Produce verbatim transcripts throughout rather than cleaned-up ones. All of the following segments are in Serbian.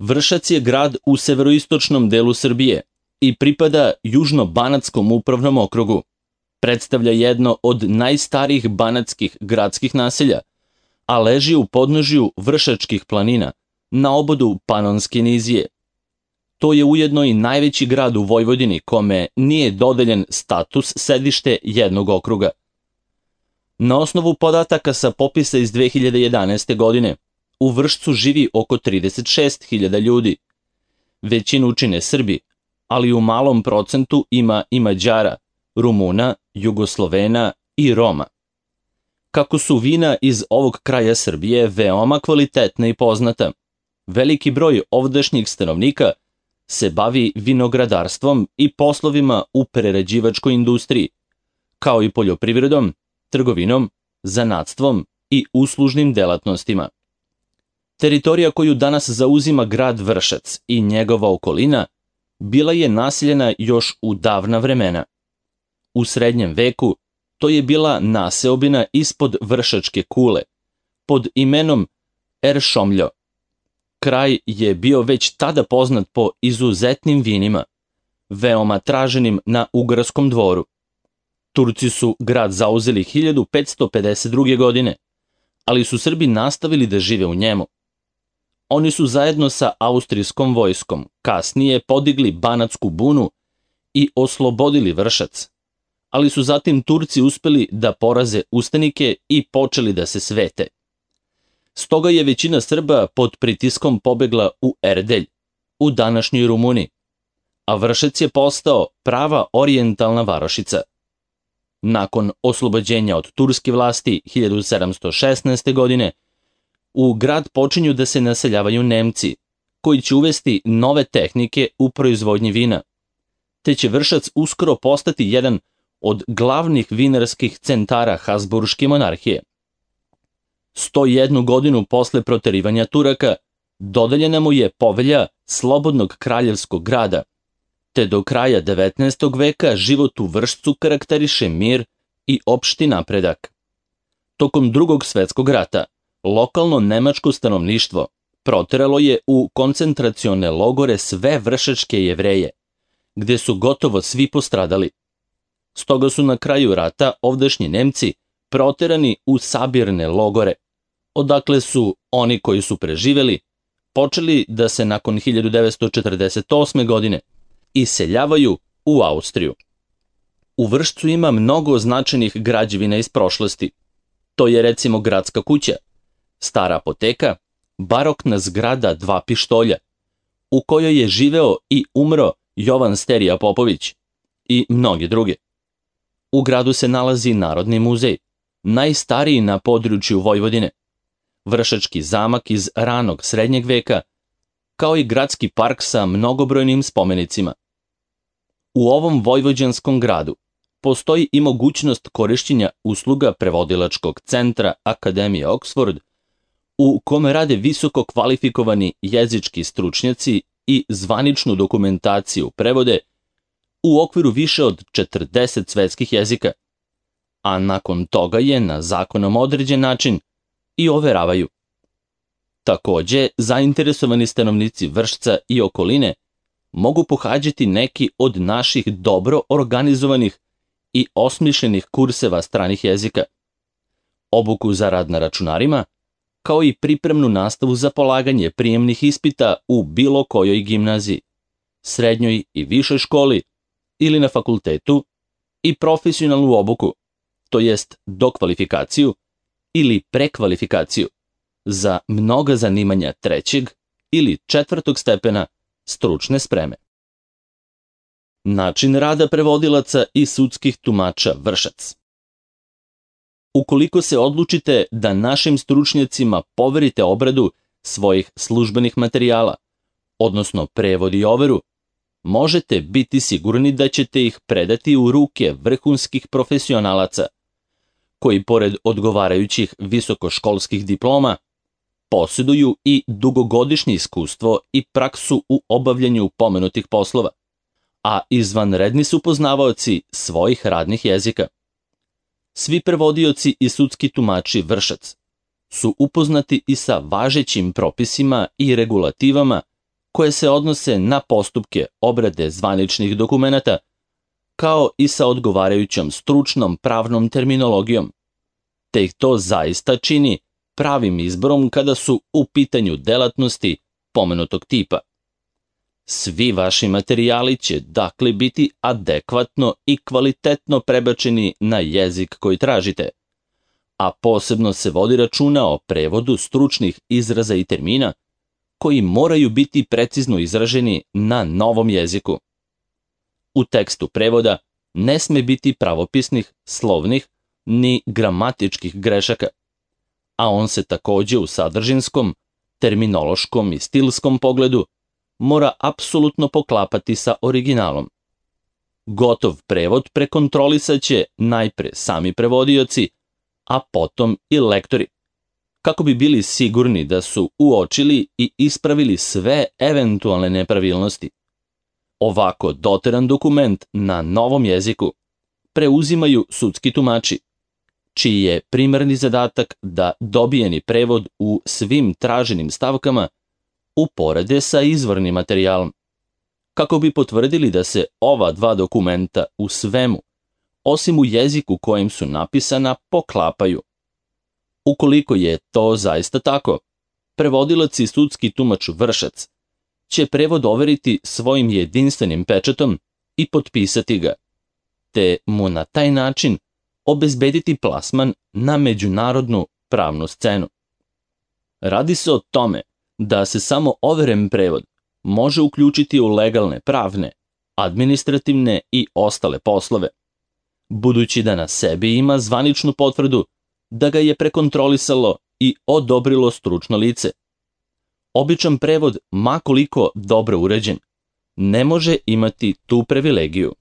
Vršac je grad u severoistočnom delu Srbije i pripada Južno-banatskom upravnom okrugu. Predstavlja jedno od najstarijih banatskih gradskih naselja, a leži u podnožju Vršačkih planina, na obodu Panonske nizije. To je ujedno i najveći grad u Vojvodini kome nije dodeljen status sedište jednog okruga. Na osnovu podataka sa popisa iz dve hiljade jedanaeste. godine, u Vršcu živi oko trideset šest hiljada ljudi. Većinu čine Srbi, ali u malom procentu ima i Mađara, Rumuna, Jugoslovena i Roma. Kako su vina iz ovog kraja Srbije veoma kvalitetna i poznata, veliki broj ovdašnjih stanovnika se bavi vinogradarstvom i poslovima u prerađivačkoj industriji, kao i poljoprivredom, trgovinom, zanatstvom i uslužnim delatnostima. Teritorija koju danas zauzima grad Vršac i njegova okolina bila je naseljena još u davna vremena. U srednjem veku to je bila naseobina ispod Vršačke kule, pod imenom Eršomljo. Kraj je bio već tada poznat po izuzetnim vinima, veoma traženim na Ugarskom dvoru. Turci su grad zauzeli hiljadu petsto pedeset druge. godine, ali su Srbi nastavili da žive u njemu. Oni su zajedno sa austrijskom vojskom kasnije podigli Banatsku bunu i oslobodili Vršac, ali su zatim Turci uspeli da poraze ustanike i počeli da se svete. Stoga je većina Srba pod pritiskom pobegla u Erdelj, u današnjoj Rumuniji, a Vršac je postao prava orijentalna varošica. Nakon oslobođenja od turske vlasti hiljadu sedamsto šesnaeste. godine, u grad počinju da se naseljavaju Nemci, koji će uvesti nove tehnike u proizvodnji vina, te će Vršac uskoro postati jedan od glavnih vinarskih centara Habsburške monarhije. sto jednu godinu posle proterivanja Turaka dodeljena mu je povelja slobodnog kraljevskog grada, te do kraja devetnaestog. veka život u Vršcu karakteriše mir i opšti napredak. Tokom Drugog svetskog rata lokalno nemačko stanovništvo proteralo je u koncentracione logore sve vršačke Jevreje, gde su gotovo svi postradali. Stoga su na kraju rata ovdašnji Nemci proterani u sabirne logore, odakle su oni koji su preživeli počeli da se nakon hiljadu devetsto četrdeset osme. godine iseljavaju u Austriju. U Vršcu ima mnogo značajnih građevina iz prošlosti. To je recimo gradska kuća, stara apoteka, barokna zgrada Dva pištolja, u kojoj je živeo i umro Jovan Sterija Popović i mnogi druge. U gradu se nalazi Narodni muzej, najstariji na području Vojvodine, Vršački zamak iz ranog srednjeg veka, kao i gradski park sa mnogobrojnim spomenicima. U ovom vojvođanskom gradu postoji i mogućnost korišćenja usluga prevodilačkog centra Akademije Oxford, u kome rade visoko kvalifikovani jezički stručnjaci i zvaničnu dokumentaciju prevode u okviru više od četrdeset svetskih jezika, a nakon toga je na zakonom određen način i overavaju. Takođe, zainteresovani stanovnici Vršca i okoline mogu pohađati neki od naših dobro organizovanih i osmišljenih kurseva stranih jezika, obuku za rad na računarima, kao i pripremnu nastavu za polaganje prijemnih ispita u bilo kojoj gimnaziji, srednjoj i višoj školi ili na fakultetu, i profesionalnu obuku, to jest dokvalifikaciju ili prekvalifikaciju za mnoga zanimanja trećeg ili četvrtog stepena stručne spreme. Način rada prevodilaca i sudskih tumača Vršac. Ukoliko se odlučite da našim stručnjacima poverite obradu svojih službenih materijala, odnosno prevod i overu, možete biti sigurni da ćete ih predati u ruke vrhunskih profesionalaca, koji pored odgovarajućih visokoškolskih diploma posjeduju i dugogodišnje iskustvo i praksu u obavljanju pomenutih poslova, a izvanredni su poznavaoci svojih radnih jezika. Svi prevodioci i sudski tumači Vršac su upoznati i sa važećim propisima i regulativama koje se odnose na postupke obrade zvaničnih dokumenata, kao i sa odgovarajućom stručnom pravnom terminologijom, te ih to zaista čini pravim izborom kada su u pitanju delatnosti pomenutog tipa. Svi vaši materijali će dakle biti adekvatno i kvalitetno prebačeni na jezik koji tražite, a posebno se vodi računa o prevodu stručnih izraza i termina koji moraju biti precizno izraženi na novom jeziku. U tekstu prevoda ne sme biti pravopisnih, slovnih ni gramatičkih grešaka, a on se takođe u sadržinskom, terminološkom i stilskom pogledu mora apsolutno poklapati sa originalom. Gotov prevod prekontrolisat će najpre sami prevodioci, a potom i lektori, kako bi bili sigurni da su uočili i ispravili sve eventualne nepravilnosti. Ovako doteran dokument na novom jeziku preuzimaju sudski tumači, čiji je primarni zadatak da dobijeni prevod u svim traženim stavkama uporede sa izvornim materijalom, kako bi potvrdili da se ova dva dokumenta u svemu, osim u jeziku kojim su napisana, poklapaju. Ukoliko je to zaista tako, prevodilac i sudski tumač vršac će prevod overiti svojim jedinstvenim pečatom i potpisati ga, te mu na taj način obezbediti plasman na međunarodnu pravnu scenu. Radi se o tome da se samo overen prevod može uključiti u legalne pravne, administrativne i ostale poslove, budući da na sebi ima zvaničnu potvrdu da ga je prekontrolisalo i odobrilo stručno lice. Običan prevod, ma koliko dobro uređen, ne može imati tu privilegiju.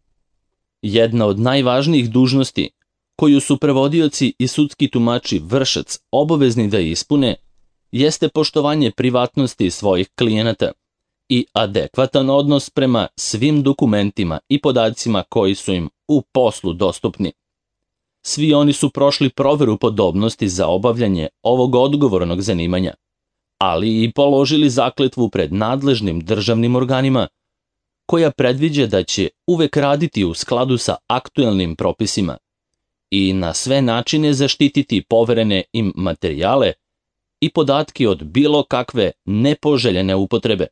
Jedna od najvažnijih dužnosti koju su prevodioci i sudski tumači vršac obavezni da ispune jeste poštovanje privatnosti svojih klijenata i adekvatan odnos prema svim dokumentima i podacima koji su im u poslu dostupni. Svi oni su prošli proveru podobnosti za obavljanje ovog odgovornog zanimanja, ali i položili zakletvu pred nadležnim državnim organima, koja predviđa da će uvek raditi u skladu sa aktuelnim propisima i na sve načine zaštititi poverene im materijale i podatke od bilo kakve nepoželjene upotrebe.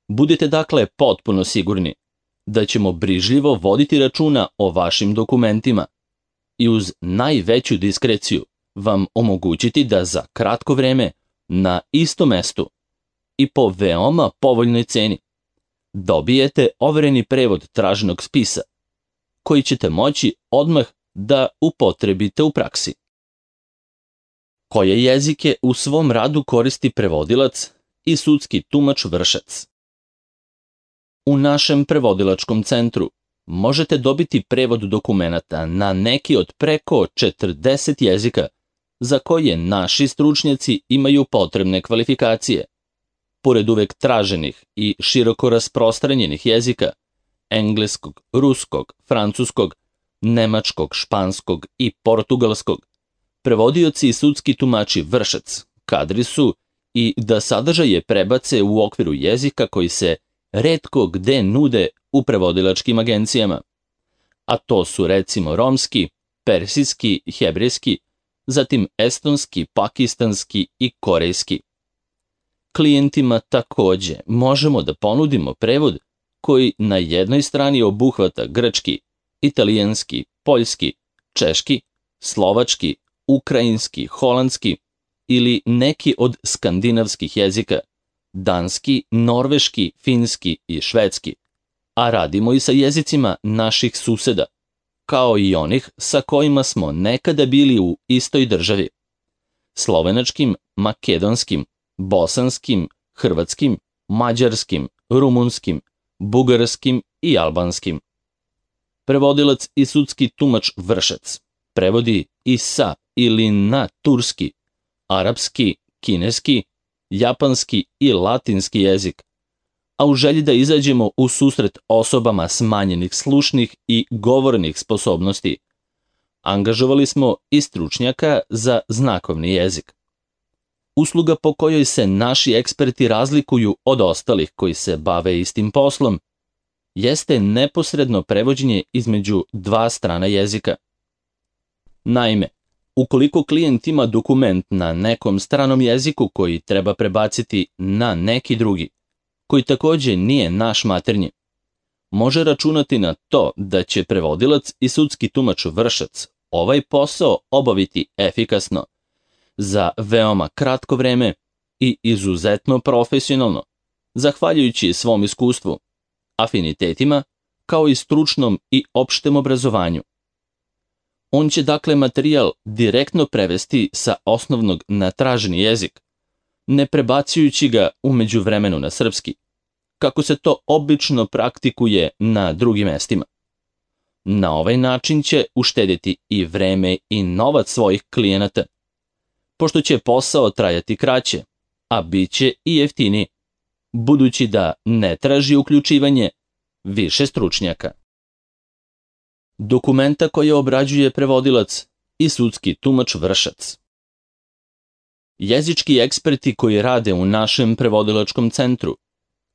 Budite dakle potpuno sigurni da ćemo brižljivo voditi računa o vašim dokumentima i uz najveću diskreciju vam omogućiti da za kratko vreme na istom mestu i po veoma povoljnoj ceni dobijete overeni prevod traženog spisa, koji ćete moći odmah da upotrebite u praksi. Koje jezike u svom radu koristi prevodilac i sudski tumač vršac? U našem prevodilačkom centru možete dobiti prevod dokumenata na neki od preko četrdeset jezika za koje naši stručnjaci imaju potrebne kvalifikacije. Pored uvek traženih i široko rasprostranjenih jezika, engleskog, ruskog, francuskog, nemačkog, španskog i portugalskog, prevodioci i sudski tumači vršac kadri su i da sadržaje prebace u okviru jezika koji se retko gde nude u prevodilačkim agencijama, a to su recimo romski, persijski, hebrejski, zatim estonski, pakistanski i korejski. Klijentima takođe možemo da ponudimo prevod koji na jednoj strani obuhvata grčki, italijanski, poljski, češki, slovački, ukrajinski, holandski ili neki od skandinavskih jezika, danski, norveški, finski i švedski, a radimo i sa jezicima naših suseda, kao i onih sa kojima smo nekada bili u istoj državi, slovenačkim, makedonskim, bosanskim, hrvatskim, mađarskim, rumunskim, bugarskim i albanskim. Prevodilac i sudski tumač vršac prevodi i sa ili na turski, arapski, kineski, japanski i latinski jezik, a u želji da izađemo u susret osobama smanjenih slušnih i govornih sposobnosti, angažovali smo i stručnjaka za znakovni jezik. Usluga po kojoj se naši eksperti razlikuju od ostalih koji se bave istim poslom jeste neposredno prevođenje između dva strana jezika. Naime, ukoliko klijent ima dokument na nekom stranom jeziku koji treba prebaciti na neki drugi, koji takođe nije naš maternji, može računati na to da će prevodilac i sudski tumač vršac ovaj posao obaviti efikasno, za veoma kratko vreme i izuzetno profesionalno, zahvaljujući svom iskustvu, afinitetima, kao i stručnom i opštem obrazovanju. On će dakle materijal direktno prevesti sa osnovnog na traženi jezik, ne prebacujući ga u međuvremenu na srpski, kako se to obično praktikuje na drugim mestima. Na ovaj način će uštedjeti i vreme i novac svojih klijenata, pošto će posao trajati kraće, a bit će i jeftiniji, budući da ne traži uključivanje više stručnjaka. Dokumenta koje obrađuje prevodilac i sudski tumač vršac. Jezički eksperti koji rade u našem prevodilačkom centru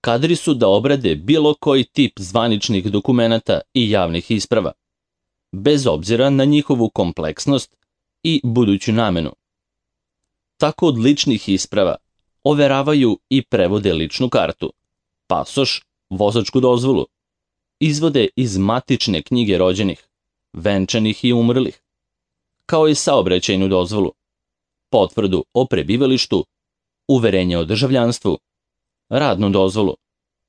kadri su da obrade bilo koji tip zvaničnih dokumenata i javnih isprava, bez obzira na njihovu kompleksnost i buduću namenu. Tako od ličnih isprava overavaju i prevode ličnu kartu, pasoš, vozačku dozvolu, izvode iz matične knjige rođenih, venčanih i umrlih, kao i saobraćajnu dozvolu, potvrdu o prebivalištu, uverenje o državljanstvu, radnu dozvolu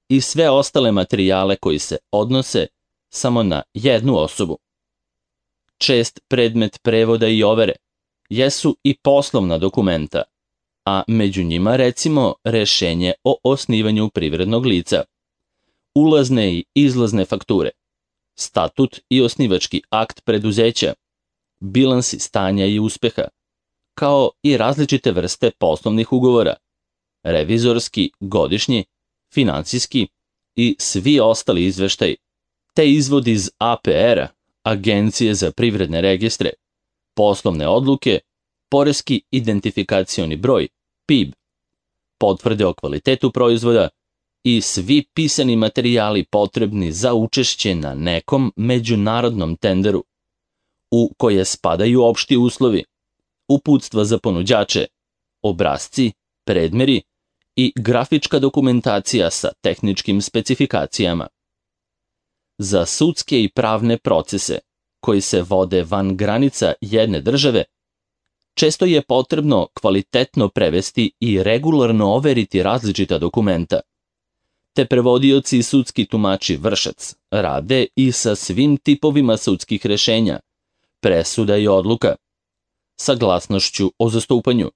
i sve ostale materijale koji se odnose samo na jednu osobu. Čest predmet prevoda i overe jesu i poslovna dokumenta, a među njima recimo rešenje o osnivanju privrednog lica, ulazne i izlazne fakture, statut i osnivački akt preduzeća, bilansi stanja i uspeha, kao i različite vrste poslovnih ugovora, revizorski, godišnji, finansijski i svi ostali izveštaji, te izvod iz A P R-a, Agencije za privredne registre, poslovne odluke, poreski identifikacioni broj, P I B, potvrde o kvalitetu proizvoda i svi pisani materijali potrebni za učešće na nekom međunarodnom tenderu, u koje spadaju opšti uslovi, uputstva za ponuđače, obrasci, predmeri i grafička dokumentacija sa tehničkim specifikacijama. Za sudske i pravne procese koji se vode van granica jedne države, često je potrebno kvalitetno prevesti i regularno overiti različita dokumenta, te prevodioci i sudski tumači vršac rade i sa svim tipovima sudskih rešenja, presuda i odluka, saglasnošću o zastupanju,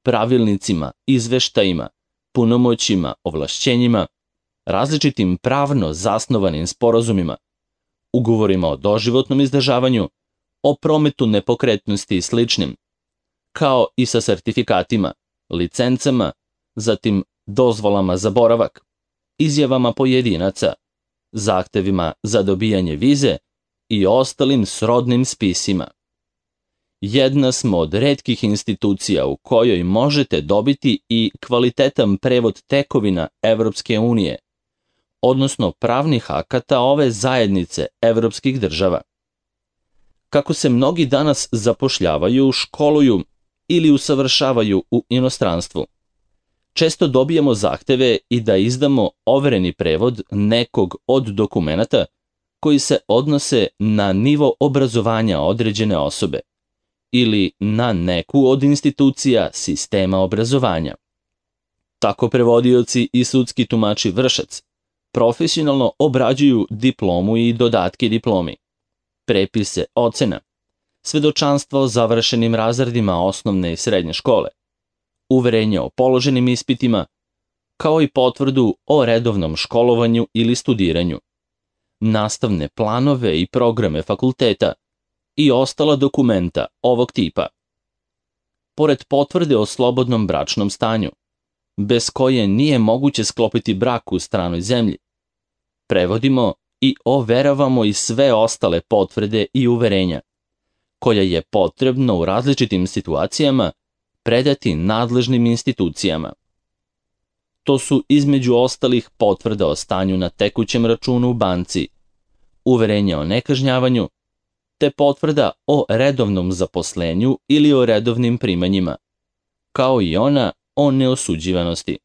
pravilnicima, izveštajima, punomoćima, ovlašćenjima, različitim pravno zasnovanim sporazumima, ugovorima o doživotnom izdržavanju, o prometu nepokretnosti i sličnim, kao i sa sertifikatima, licencama, zatim dozvolama za boravak, izjavama pojedinaca, zahtevima za dobijanje vize i ostalim srodnim spisima. Jedna smo od retkih institucija u kojoj možete dobiti i kvalitetan prevod tekovina Evropske unije, odnosno pravnih akata ove zajednice evropskih država. Kako se mnogi danas zapošljavaju, školuju ili usavršavaju u inostranstvu, često dobijamo zahteve i da izdamo overeni prevod nekog od dokumenata koji se odnose na nivo obrazovanja određene osobe ili na neku od institucija sistema obrazovanja. Tako prevodioci i sudski tumači vršac profesionalno obrađuju diplomu i dodatke diplomi, prepise ocena, svedočanstvo o završenim razredima osnovne i srednje škole, uverenje o položenim ispitima, kao i potvrdu o redovnom školovanju ili studiranju, nastavne planove i programe fakulteta i ostala dokumenta ovog tipa. Pored potvrde o slobodnom bračnom stanju, bez koje nije moguće sklopiti brak u stranoj zemlji, prevodimo i overavamo i sve ostale potvrde i uverenja, koja je potrebno u različitim situacijama predati nadležnim institucijama. To su između ostalih potvrda o stanju na tekućem računu u banci, uverenje o nekažnjavanju, te potvrda o redovnom zaposlenju ili o redovnim primanjima, kao i ona o neosuđivanosti.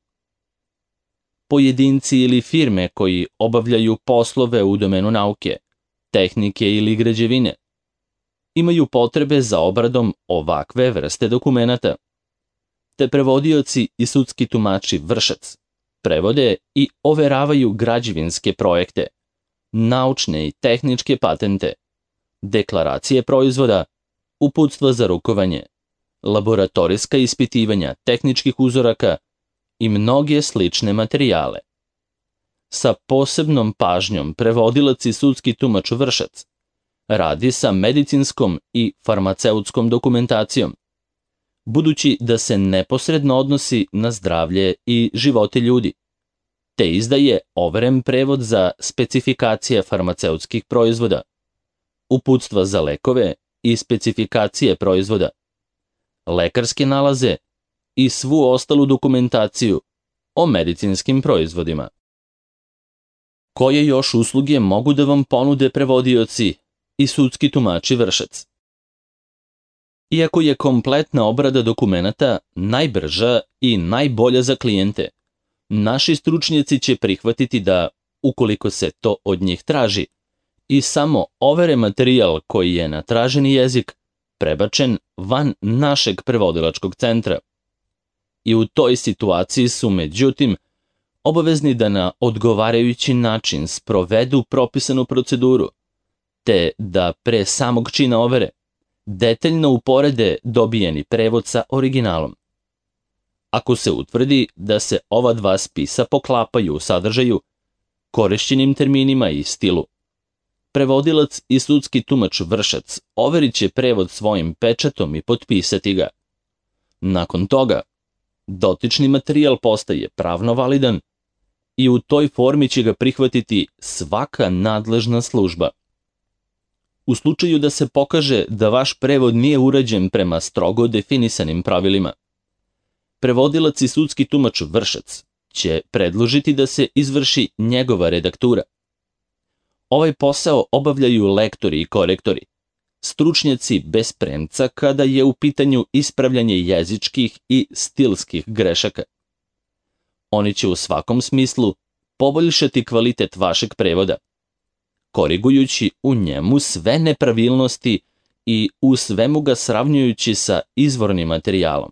Pojedinci ili firme koji obavljaju poslove u domenu nauke, tehnike ili građevine imaju potrebe za obradom ovakve vrste dokumenata, te prevodioci i sudski tumači vršac prevode i overavaju građevinske projekte, naučne i tehničke patente, deklaracije proizvoda, uputstva za rukovanje, laboratorijska ispitivanja tehničkih uzoraka i mnoge slične materijale. Sa posebnom pažnjom prevodilac i sudski tumač vršac radi sa medicinskom i farmaceutskom dokumentacijom, budući da se neposredno odnosi na zdravlje i živote ljudi, te izdaje overen prevod za specifikacije farmaceutskih proizvoda, uputstva za lekove i specifikacije proizvoda, lekarske nalaze i svu ostalu dokumentaciju o medicinskim proizvodima. Koje još usluge mogu da vam ponude prevodioci i sudski tumači vršac? Iako je kompletna obrada dokumenata najbrža i najbolja za klijente, naši stručnjaci će prihvatiti da, ukoliko se to od njih traži, i samo overe materijal koji je na traženi jezik prebačen van našeg prevodilačkog centra. I u toj situaciji su, međutim, obavezni da na odgovarajući način sprovedu propisanu proceduru, te da pre samog čina overe detaljno uporede dobijeni prevod sa originalom. Ako se utvrdi da se ova dva spisa poklapaju u sadržaju, korišćenim terminima i stilu, prevodilac i sudski tumač vršac overit će prevod svojim pečatom i potpisati ga. Nakon toga, dotični materijal postaje pravno validan i u toj formi će ga prihvatiti svaka nadležna služba. U slučaju da se pokaže da vaš prevod nije urađen prema strogo definisanim pravilima, prevodilac i sudski tumač vršac će predložiti da se izvrši njegova redaktura. Ovaj posao obavljaju lektori i korektori, stručnjaci bez premca kada je u pitanju ispravljanje jezičkih i stilskih grešaka. Oni će u svakom smislu poboljšati kvalitet vašeg prevoda, korigujući u njemu sve nepravilnosti i u svemu ga sravnjujući sa izvornim materijalom.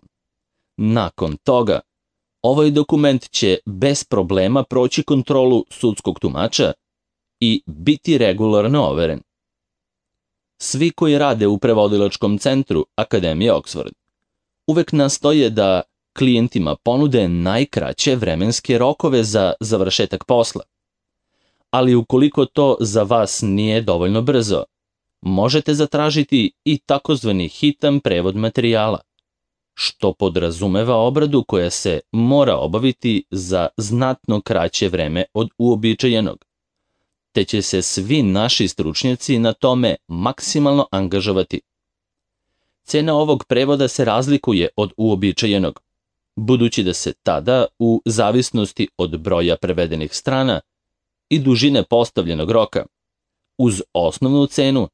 Nakon toga, ovaj dokument će bez problema proći kontrolu sudskog tumača i biti regularno overen. Svi koji rade u prevodilačkom centru Akademije Oxford uvek nastoje da klijentima ponude najkraće vremenske rokove za završetak posla. Ali ukoliko to za vas nije dovoljno brzo, možete zatražiti i takozvani hitan prevod materijala, što podrazumeva obradu koja se mora obaviti za znatno kraće vreme od uobičajenog, te će se svi naši stručnjaci na tome maksimalno angažovati. Cena ovog prevoda se razlikuje od uobičajenog, budući da se tada, u zavisnosti od broja prevedenih strana i dužine postavljenog roka, uz osnovnu cenu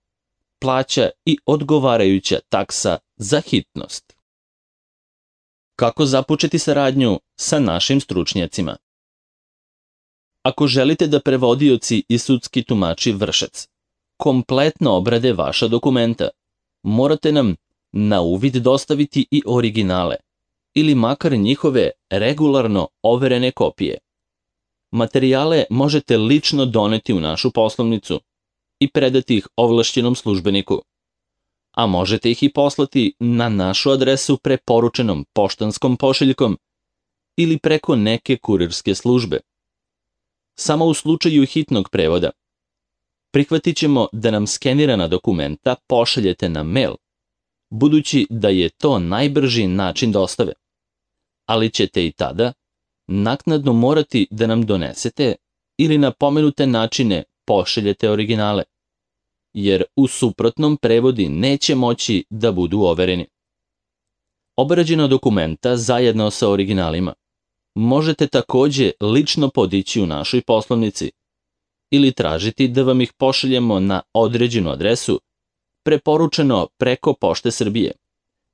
plaća i odgovarajuća taksa za hitnost. Kako započeti saradnju sa našim stručnjacima? Ako želite da prevodioci i sudski tumači vršac kompletno obrade vaša dokumenta, morate nam na uvid dostaviti i originale, ili makar njihove regularno overene kopije. Materijale možete lično doneti u našu poslovnicu i predati ih ovlašćenom službeniku, a možete ih i poslati na našu adresu preporučenom poštanskom pošiljkom ili preko neke kurirske službe. Samo u slučaju hitnog prevoda prihvatit ćemo da nam skenirana dokumenta pošaljete na mail, budući da je to najbrži način dostave, ali ćete i tada naknadno morati da nam donesete ili na pomenute načine pošaljete originale, jer u suprotnom prevodi neće moći da budu overeni. Obrađena dokumenta zajedno sa originalima možete takođe lično podići u našoj poslovnici ili tražiti da vam ih pošaljemo na određenu adresu, preporučeno preko Pošte Srbije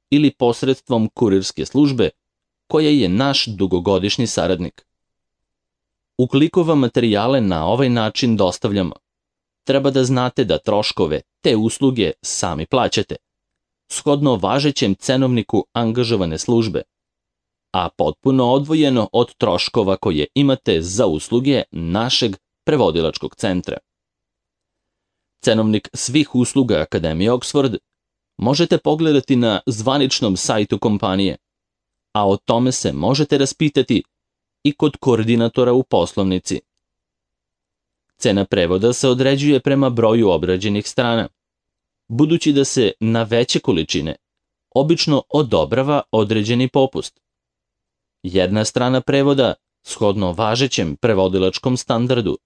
ili posredstvom kurirske službe koja je naš dugogodišnji saradnik. Ukoliko vam materijale na ovaj način dostavljamo, treba da znate da troškove te usluge sami plaćate, shodno važećem cenovniku angažovane službe, a potpuno odvojeno od troškova koje imate za usluge našeg prevodilačkog centra. Cenovnik svih usluga Akademije Oxford možete pogledati na zvaničnom sajtu kompanije, a o tome se možete raspitati i kod koordinatora u poslovnici. Cena prevoda se određuje prema broju obrađenih strana, budući da se na veće količine obično odobrava određeni popust. Jedna strana prevoda, shodno važećem prevodilačkom standardu,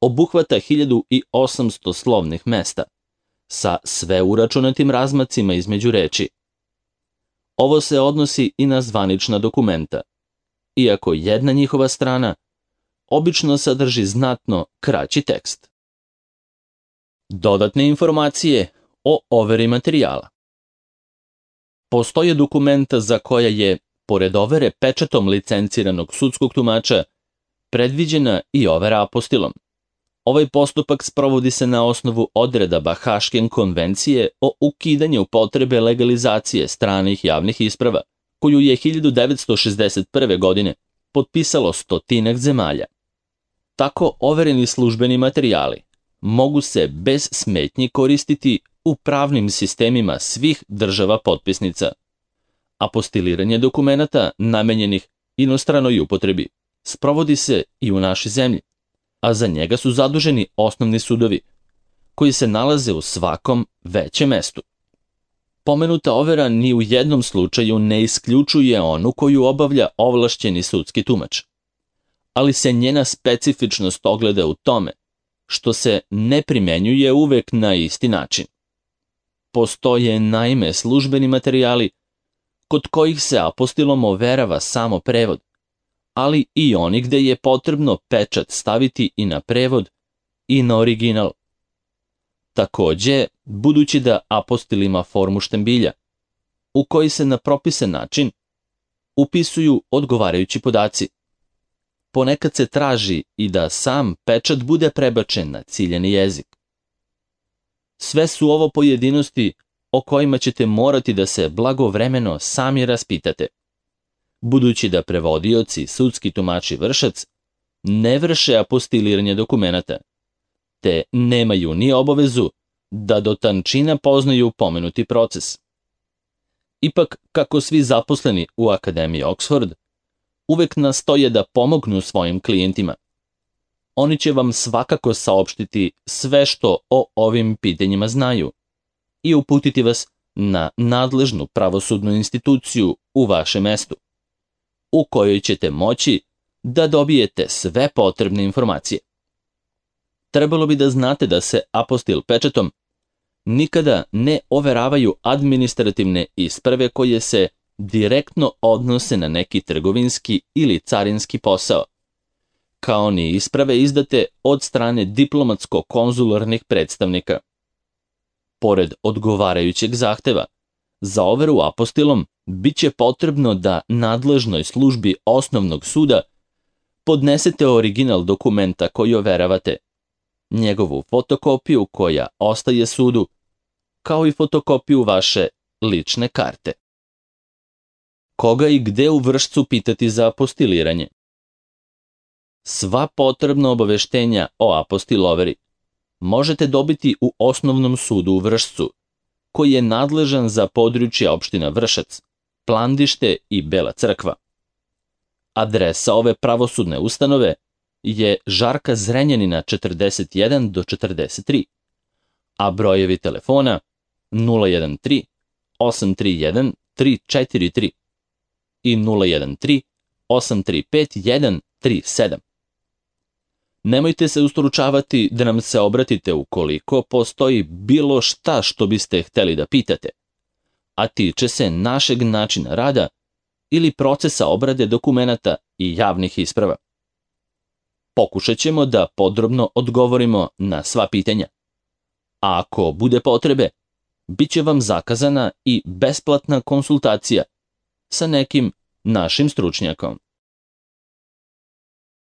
obuhvata hiljadu osamsto slovnih mesta, sa sve uračunatim razmacima između reči. Ovo se odnosi i na zvanična dokumenta, iako jedna njihova strana obično sadrži znatno kraći tekst. Dodatne informacije o overi materijala. Postoje dokumenta za koja je, pored overe pečatom licenciranog sudskog tumača, predviđena i overa apostilom. Ovaj postupak sprovodi se na osnovu odredaba Haške konvencije o ukidanju potrebe legalizacije stranih javnih isprava, koju je hiljadu devetsto šezdeset prve. godine potpisalo stotinak zemalja. Tako overeni službeni materijali mogu se bez smetnji koristiti u pravnim sistemima svih država potpisnica. Apostiliranje dokumenata namenjenih inostranoj upotrebi sprovodi se i u našoj zemlji, a za njega su zaduženi osnovni sudovi, koji se nalaze u svakom većem mestu. Pomenuta overa ni u jednom slučaju ne isključuje onu koju obavlja ovlašćeni sudski tumač, ali se njena specifičnost ogleda u tome što se ne primenjuje uvek na isti način. Postoje naime službeni materijali kod kojih se apostilom overava samo prevod, ali i oni gde je potrebno pečat staviti i na prevod i na original. Takođe, budući da apostil ima formu štambilja, u koji se na propisan način upisuju odgovarajući podaci, ponekad se traži i da sam pečat bude prebačen na ciljani jezik. Sve su ovo pojedinosti o kojima ćete morati da se blagovremeno sami raspitate, budući da prevodioci, sudski tumači, vršac ne vrše apostiliranje dokumenata, te nemaju ni obavezu da do tančina poznaju pomenuti proces. Ipak, kako svi zaposleni u Akademiji Oxford uvek nastoje da pomognu svojim klijentima, oni će vam svakako saopštiti sve što o ovim pitanjima znaju i uputiti vas na nadležnu pravosudnu instituciju u vašem mestu, u kojoj ćete moći da dobijete sve potrebne informacije. Trebalo bi da znate da se apostil pečatom nikada ne overavaju administrativne isprave koje se direktno odnose na neki trgovinski ili carinski posao, kao ni isprave izdate od strane diplomatsko-konzularnih predstavnika. Pored odgovarajućeg zahteva, za overu apostilom bit će potrebno da nadležnoj službi osnovnog suda podnesete original dokumenta koji overavate, njegovu fotokopiju koja ostaje sudu, kao i fotokopiju vaše lične karte. Koga i gde u Vršcu pitati za apostiliranje? Sva potrebna obaveštenja o apostil overi možete dobiti u Osnovnom sudu u Vršcu, koji je nadležan za područje opština Vršac, Plandište i Bela Crkva. Adresa ove pravosudne ustanove je Žarka Zrenjanina četrdeset jedan do četrdeset tri, a brojevi telefona nula jedan tri osam tri jedan tri četiri tri i nula jedan tri osam tri pet jedan tri sedam. Nemojte se ustručavati da nam se obratite ukoliko postoji bilo šta što biste hteli da pitate, a tiče se našeg načina rada ili procesa obrade dokumenata i javnih isprava. Pokušat ćemo da podrobno odgovorimo na sva pitanja. A ako bude potrebe, bit će vam zakazana i besplatna konsultacija sa nekim našim stručnjakom.